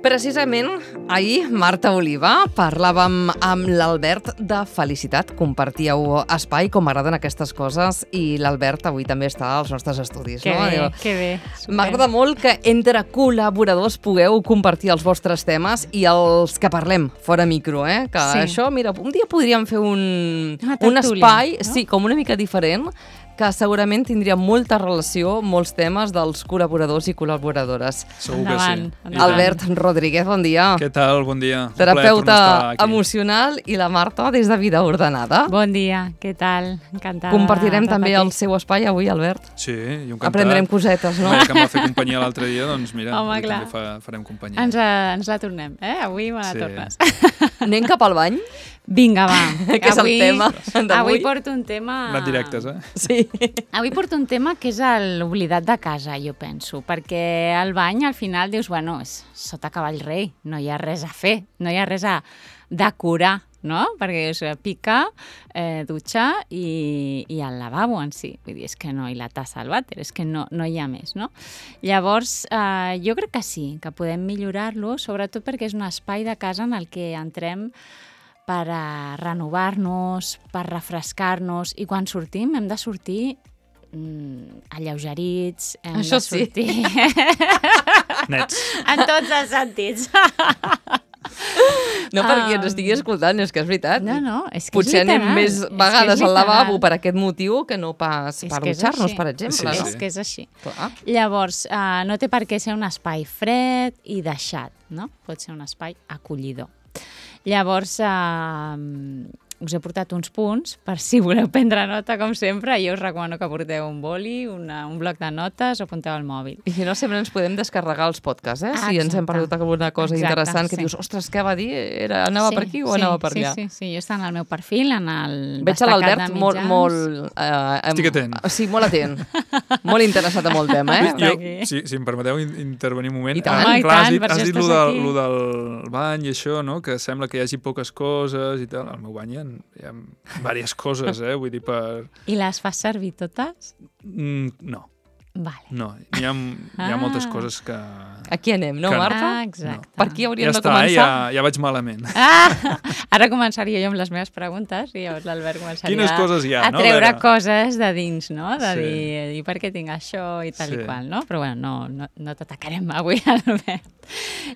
Precisament, ahir, Marta Oliva, parlàvem amb l'Albert de Felicitat. Compartíeu espai, com m'agraden aquestes coses, i l'Albert avui també està als nostres estudis. Que no? bé, que bé. M'agrada molt que entre col·laboradors pugueu compartir els vostres temes i els que parlem fora micro, que Sí. això, mira, un dia podríem fer un tertúlia, espai, no? sí, com una mica diferent, que segurament tindria molta relació, molts temes dels col·laboradors i col·laboradores. Segur Endavant, que sí. endavant. Albert Rodríguez, bon dia. Què tal? Bon dia. Un plaer Terapeuta tornar a estar aquí. emocional, i la Marta des de Vida Ordenada. Bon dia, què tal? Encantada. Compartirem de també repetir. el seu espai avui, Albert. Sí, i encantat. Aprendrem cosetes, no? Que em va fer companyia l'altre dia, doncs mira, Home, avui clar. també farem companyia. Ens la tornem, Avui me la Sí. tornes. Anem cap al bany, Vinga, va. que és el tema d'avui. Avui porto un tema... Anat directes, Sí. Avui porto un tema que és l'oblidat de casa, jo penso, perquè al bany al final dius, bueno, és sota cavall rei, no hi ha res a fer, no hi ha res a decorar, no? Perquè és picar, dutxar i el lavabo en si. Vull dir, és que no, i la tassa al vàter, és que no hi ha més, no? Llavors, jo crec que sí, que podem millorar-lo, sobretot perquè és un espai de casa en el que entrem per a renovar-nos, per refrescar-nos, i quan sortim hem de sortir alleugerits, hem Això de sí. sortir Nets. en tots els sentits. No perquè ens estigui escoltant, és que és veritat. No, és que Potser és literal. anem més És que és vegades al literal. lavabo per aquest motiu que no pas És per que és dutxar-nos, així. per exemple. Sí, no? sí. És que és així. Clar. Llavors, no té per què ser un espai fred i deixat, no? Pot ser un espai acollidor. Llavors, us he portat uns punts per si voleu prendre nota, com sempre. Jo us recomano que porteu un boli, un bloc de notes o apunteu al mòbil. I si no, sempre ens podem descarregar els podcasts, si ens hem Exacte. perdut alguna cosa Exacte, interessant que sí. dius, ostres, què va dir? Anava per aquí o anava per allà? Sí, jo està en el meu perfil, en el Veig a destacat l'Albert de molt... mitjans. Estic atent. Sí, molt atent. Molt interessat en el tema, Està Jo, aquí. si em permeteu intervenir un moment. I tant. Home, i clar, tant, per has això dit estàs lo aquí. del bany i això, no? Que sembla que hi hagi poques coses i tal. Al meu bany hi ha diverses coses, vull dir, per... I les fas servir totes? No, Vale. no. Hi ha moltes coses que... Aquí anem, no, Que no. Marta? Exacte. Per aquí hauríem Ja de està, començar. ja vaig malament. Ara començaria jo amb les meves preguntes i llavors l'Albert començaria Quines coses hi ha, a no? treure A veure. coses de dins, no? De Sí. dir, i per què tinc això i tal Sí. i qual, no? Però bueno, no t'atacarem avui, Albert.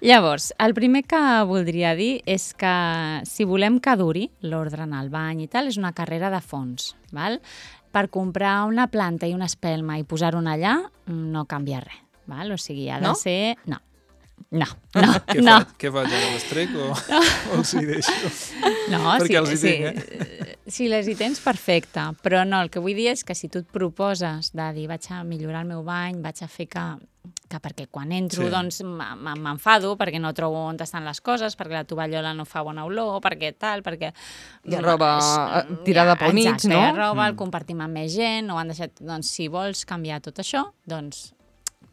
Llavors, el primer que voldria dir és que si volem que duri l'ordre en el bany i tal, és una carrera de fons, val? Per comprar una planta i una espelma i posar-ho allà, no canvia res, val? O sigui, ha de No? ser... No. Què faig ara? Les trec o els hi deixo? No, Perquè els hi tinc, si les hi tens, perfecte. Però no, el que vull dir és que si tu et proposes de dir vaig a millorar el meu bany, vaig a fer que perquè quan entro Sí. doncs m'enfado perquè no trobo on estan les coses, perquè la tovallola no fa bona olor, perquè tal, perquè... Hi ha roba tirada pel mig, exacte, no? hi ha roba, el compartim amb més gent, ho han deixat... Doncs si vols canviar tot això, doncs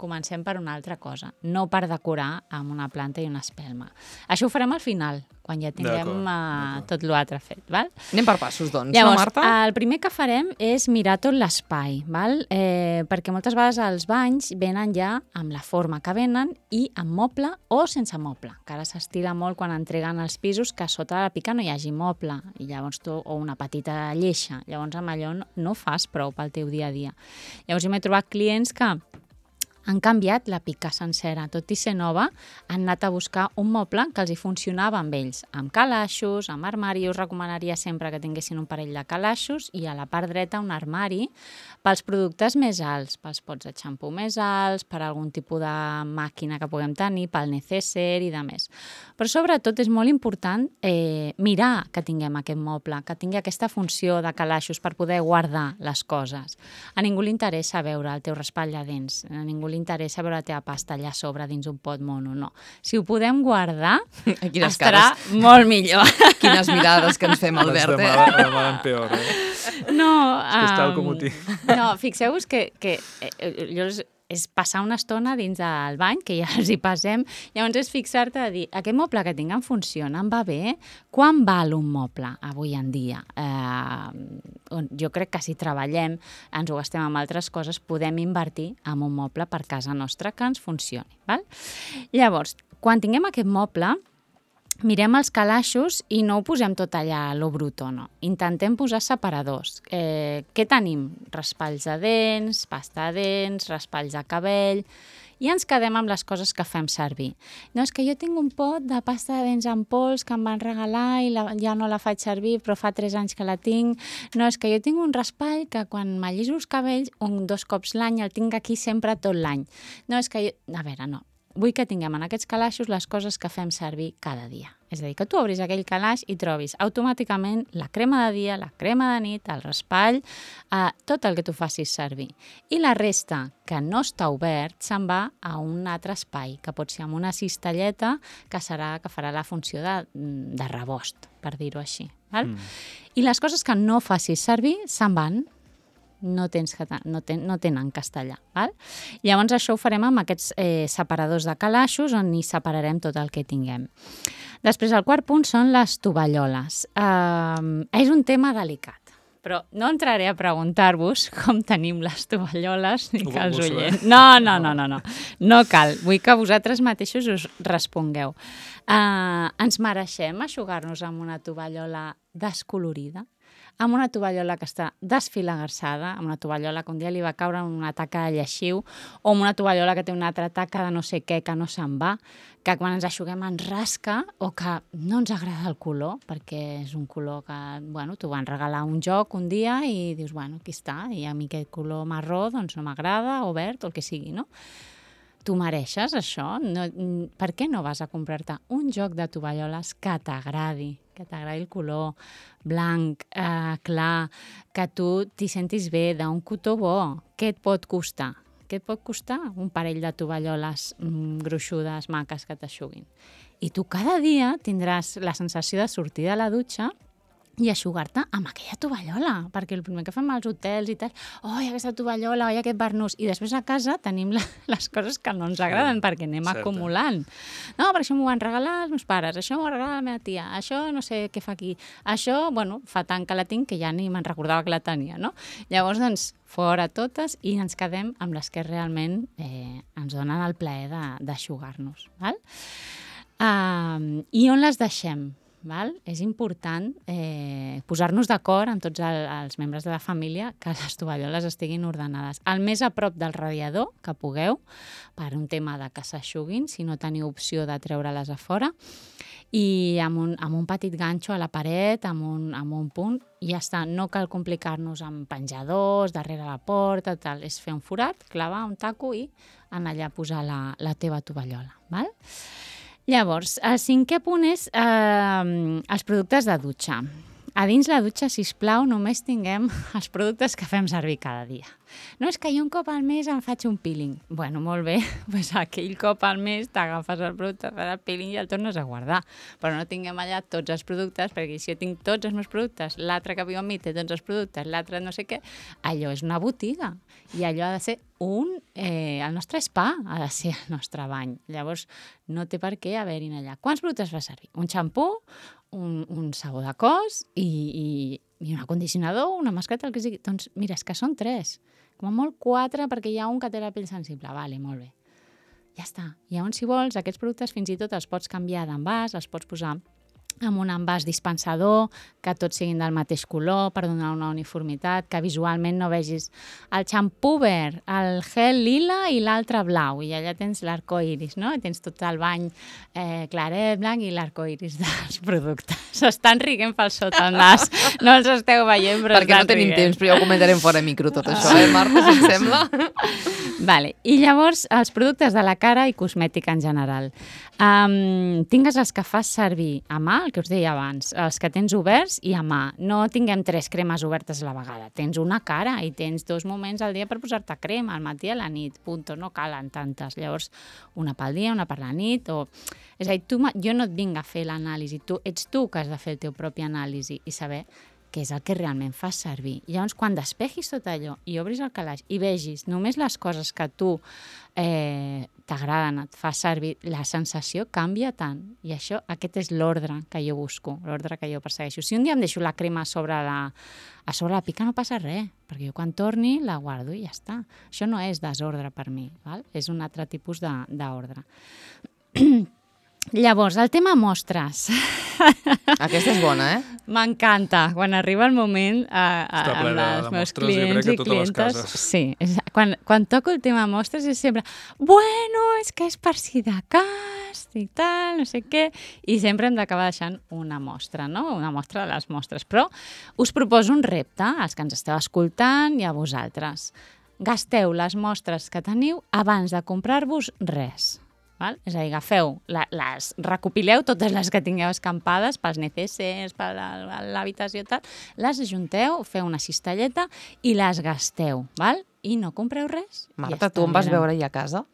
comencem per una altra cosa, no per decorar amb una planta i una espelma. Això ho farem al final, quan ja tinguem D'acord. tot l'altre fet, val? Anem per passos, doncs, Llavors, no, Marta? el primer que farem és mirar tot l'espai, val? Perquè moltes vegades els banys venen ja amb la forma que venen i amb moble o sense moble, que ara s'estila molt quan entreguen els pisos que sota la pica no hi hagi moble, i llavors o una petita lleixa, llavors amb allò no fas prou pel teu dia a dia. Llavors jo m'he trobat clients que han canviat la pica sencera, tot i ser nova, han anat a buscar un moble que els hi funcionava amb ells, amb calaixos, amb armari. Jo us recomanaria sempre que tinguessin un parell de calaixos i a la part dreta un armari pels productes més alts, pels pots de xampú més alts, per algun tipus de màquina que puguem tenir, pel necesser i de més. Però sobretot és molt important mirar que tinguem aquest moble, que tingui aquesta funció de calaixos per poder guardar les coses. A ningú li interessa veure el teu raspall de dents, a ningú li interessa veure la teva pasta allà a sobre dins un pot mono, no. Si ho podem guardar, Quines estarà cares. molt millor. Quines mirades que ens fem, Vaig Albert, de mal en peor, No, que està al comodí. no, fixeu-vos que és passar una estona dins del bany, que ja els hi passem, llavors és fixar-te a dir, aquest moble que tinc em funciona, em va bé? Quan val un moble avui en dia? Jo crec que si treballem, ens ho gastem amb altres coses, podem invertir en un moble per casa nostra que ens funcioni. Val? Llavors, Quan tinguem aquest moble, mirem els calaixos i no ho posem tot allà a lo bruto, no. Intentem posar separadors. Què tenim? Raspalls de dents, pasta de dents, raspalls de cabell... I ens quedem amb les coses que fem servir. No, és que jo tinc un pot de pasta de dents en pols que em van regalar i ja no la faig servir, però fa 3 anys que la tinc. No, és que jo tinc un raspall que quan m'alliso els cabells 2 cops l'any el tinc aquí sempre tot l'any. No, és que jo... A veure, no. Vull que tinguem en aquests calaixos les coses que fem servir cada dia. És a dir, que tu obris aquell calaix i trobis automàticament la crema de dia, la crema de nit, el raspall, tot el que tu facis servir. I la resta, que no està obert, se'n va a un altre espai, que pot ser amb una cistelleta que farà la funció de rebost, per dir-ho així. Val? I les coses que no facis servir se'n van. No tenen castellà. Val? Llavors això ho farem amb aquests separadors de calaixos on hi separarem tot el que tinguem. Després el quart punt són les tovalloles. És un tema delicat, però no entraré a preguntar-vos com tenim les tovalloles ni que els oients. No. No cal. Vull que vosaltres mateixos us respongueu. Ens mereixem eixugar-nos amb una tovallola descolorida? Amb una tovallola que està desfilagarsada, amb una tovallola que un dia li va caure una taca de lleixiu, o amb una tovallola que té una altra taca de no sé què que no se'n va, que quan ens eixuguem ens rasca o que no ens agrada el color, perquè és un color que, bueno, t'ho van regalar un joc un dia i dius, bueno, aquí està, i a mi aquest color marró doncs no m'agrada, o verd, o el que sigui, no? Tu mereixes això? Per què no vas a comprar-te un joc de tovalloles que t'agradi el color blanc, clar, que tu t'hi sentis bé, d'un cotó bo? Què et pot costar? Què et pot costar un parell de tovalloles gruixudes, maques, que t'eixuguin? I tu cada dia tindràs la sensació de sortir de la dutxa i eixugar-te amb aquella tovallola, perquè el primer que fem als hotels i tal, oi, aquesta tovallola, oi, aquest barnús, i després a casa tenim les coses que no ens agraden perquè anem acumulant. No, per això m'ho van regalar els meus pares, això m'ho va regalar la meva tia, això no sé què fa aquí, això, bueno, fa tant que la tinc que ja ni me'n recordava que la tenia, no? Llavors, doncs, fora totes i ens quedem amb les que realment ens donen el plaer d'eixugar-nos, val? I on les deixem? Val? És important posar-nos d'acord amb tots els membres de la família que les tovalloles estiguin ordenades. El més a prop del radiador que pugueu, per un tema de que s'eixuguin, si no teniu opció de treure-les a fora, i amb un petit ganxo a la paret, amb un punt, i ja està. No cal complicar-nos amb penjadors, darrere la porta, tal. És fer un forat, clavar un taco i anar allà a posar la teva tovallola. Val? Llavors, el 5è punt és els productes de dutxa. A dins la dutxa, sisplau, només tinguem els productes que fem servir cada dia. No és que jo un cop al mes em faig un peeling. Bueno, molt bé, doncs aquell cop al mes t'agafes el producte, fas el peeling i el tornes a guardar. Però no tinguem allà tots els productes, perquè si jo tinc tots els meus productes, l'altre que viu amb mi té tots els productes, l'altre no sé què, allò és una botiga. I allò ha de ser el nostre spa, ha de ser el nostre bany. Llavors, no té per què haver-hi allà. Quants productes fa servir? Un xampú, un sabó de cos i un acondicionador, una mascareta, el que sigui. Doncs mira, és que són 3. Com a molt 4, perquè hi ha un que té la pell sensible. Vale, molt bé. Ja està. Llavors, si vols, aquests productes fins i tot els pots canviar d'envàs, els pots posar amb un envàs dispensador, que tots siguin del mateix color per donar una uniformitat, que visualment no vegis el xampú verd, el gel lila i l'altre blau, i allà tens l'arcoiris, no? I tens tot el bany claret, blanc i l'arcoiris dels productes. S'estan riguent pel sota el nas. No els esteu veient, però perquè no tenim temps, però ja ho comentarem fora micro tot això, Marta, si et sembla? Vale. I llavors, els productes de la cara i cosmètica en general. Tingues els que fas servir a mà, el que us deia abans, els que tens oberts i a mà. No tinguem 3 cremes obertes a la vegada. Tens una cara i tens 2 moments al dia per posar-te crema, al matí i a la nit, punto. No calen tantes. Llavors, una pel dia, una per la nit, o... És a dir, jo no et vinc a fer l'anàlisi, ets tu que has de fer el teu propi anàlisi i saber què és el que realment fas servir. I llavors, quan despegis tot allò i obris el calaix i vegis només les coses que tu t'agraden, et fa servir, la sensació canvia tant. I aquest és l'ordre que jo busco, l'ordre que jo persegueixo. Si un dia em deixo la crema a sobre la pica, no passa res, perquè jo quan torni la guardo i ja està. Això no és desordre per mi, val? És un altre tipus d'ordre. Llavors, el tema mostres. Aquesta és bona, M'encanta. Quan arriba el moment Està ple amb els de meus mostres, jo crec clients que i totes les clientes... cases. Sí, quan toco el tema mostres és sempre bueno, és que és per si de cas i tal, no sé què, i sempre hem d'acabar deixant una mostra, no? Una mostra de les mostres. Però us proposo un repte, als que ens esteu escoltant i a vosaltres. Gasteu les mostres que teniu abans de comprar-vos res. Val? És a dir, agafeu, recopileu totes les que tingueu escampades pels necessers, per l'habitació i tal, les ajunteu, feu una cistelleta i les gasteu, val? I no compreu res. Marta, tu em vas veure ahir a casa?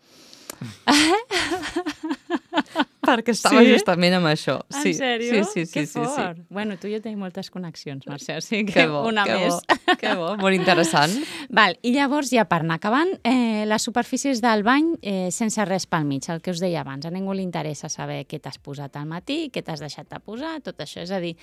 Perquè estava justament amb això. En sèrio? Sí. Que fort. Bueno, tu i jo tenim moltes connexions, Mercè, o sigui Que que bo, una que més. bo, que bo, molt interessant. Val, i llavors, ja per anar acabant, les superfícies del bany sense res pel mig, el que us deia abans. A ningú li interessa saber què t'has posat al matí, què t'has deixat de posar, tot això. És a dir,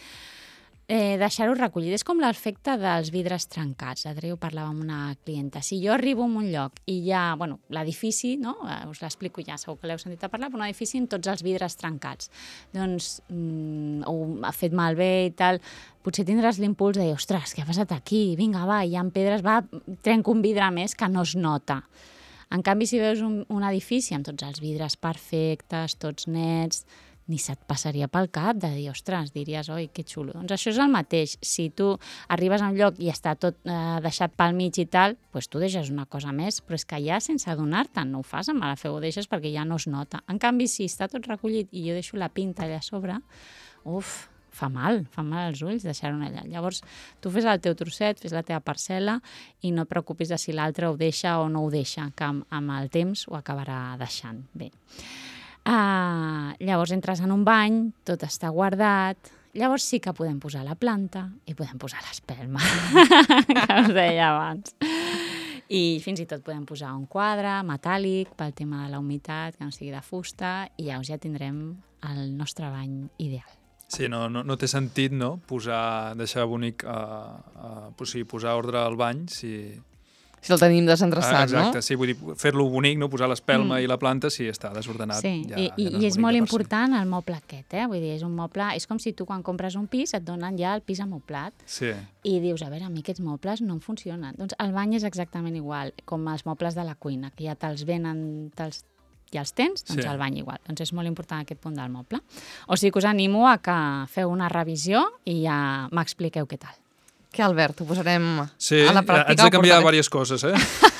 deixar-ho recollit. És com l'efecte dels vidres trencats. L'altre dia ho parlava amb una clienta. Si jo arribo a un lloc i hi ha, bueno, l'edifici, no? Us l'explico ja, segur que l'heu sentit a parlar, però un edifici amb tots els vidres trencats. Doncs ho ha fet malbé i tal. Potser tindràs l'impuls de dir, ostres, què ha passat aquí? Vinga, va, hi ha pedres, va, trenco un vidre més que no es nota. En canvi, si veus un edifici amb tots els vidres perfectes, tots nets, ni se't passaria pel cap de dir, ostres, diries, oi, que xulo. Doncs això és el mateix. Si tu arribes a un lloc i està tot deixat pel mig i tal, doncs tu deixes una cosa més, però és que ja sense adonar-te'n no ho fas amb mala fe, ho deixes perquè ja no es nota. En canvi, si està tot recollit i jo deixo la pinta allà a sobre, fa mal als ulls deixar-ho allà. Llavors, tu fes el teu trosset, fes la teva parcel·la i no et preocupis de si l'altre ho deixa o no ho deixa, que amb el temps ho acabarà deixant. Bé. Llavors entres en un bany, tot està guardat, llavors sí que podem posar la planta i podem posar l'espelma, que us deia abans. I fins i tot podem posar un quadre metàl·lic pel tema de la humitat, que no sigui de fusta, i ja tindrem el nostre bany ideal. Sí, no té sentit, no?, deixar bonic, posar ordre al bany, Si el tenim desendreçat, no? Exacte, sí, vull dir, fer-lo bonic, no? Posar l'espelma i la planta, si està desordenat. Sí, ja i és molt important el moble aquest, Vull dir, és un moble... És com si tu quan compres un pis et donen ja el pis amoblat. Sí. I dius, a veure, a mi aquests mobles no em funcionen. Doncs el bany és exactament igual, com els mobles de la cuina, que ja te'ls venen, ja els tens, doncs el bany igual. Doncs és molt important aquest punt del moble. O sigui que us animo a que feu una revisió i ja m'expliqueu què tal. Que, Albert, ho posarem sí, a la pràctica. Haig de canviar diverses coses,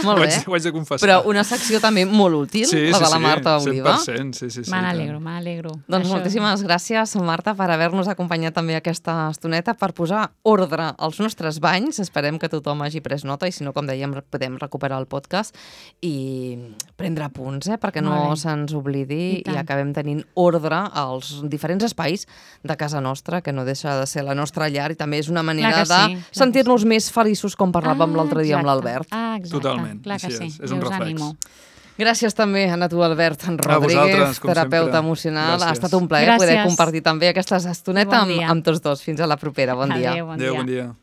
Molt bé. Ho haig de confessar. Però una secció també molt útil, la de la Marta Oliva. 100%, sí. Me n'alegro. Doncs moltíssimes gràcies, Marta, per haver-nos acompanyat també aquesta estoneta per posar ordre als nostres banys. Esperem que tothom hagi pres nota i, si no, com dèiem, podem recuperar el podcast i prendre punts, perquè no se'ns oblidi i acabem tenint ordre als diferents espais de casa nostra, que no deixa de ser la nostra llar i també és una manera de sentir-nos més feliços, com parlàvem l'altre dia amb l'Albert. Totalment. Clar que sí. És un reflex. Gràcies també a tu, Albert Rodríguez, terapeuta emocional. Ha estat un plaer poder compartir també aquesta estoneta amb tots dos. Fins a la propera. Bon dia. Adéu, bon dia.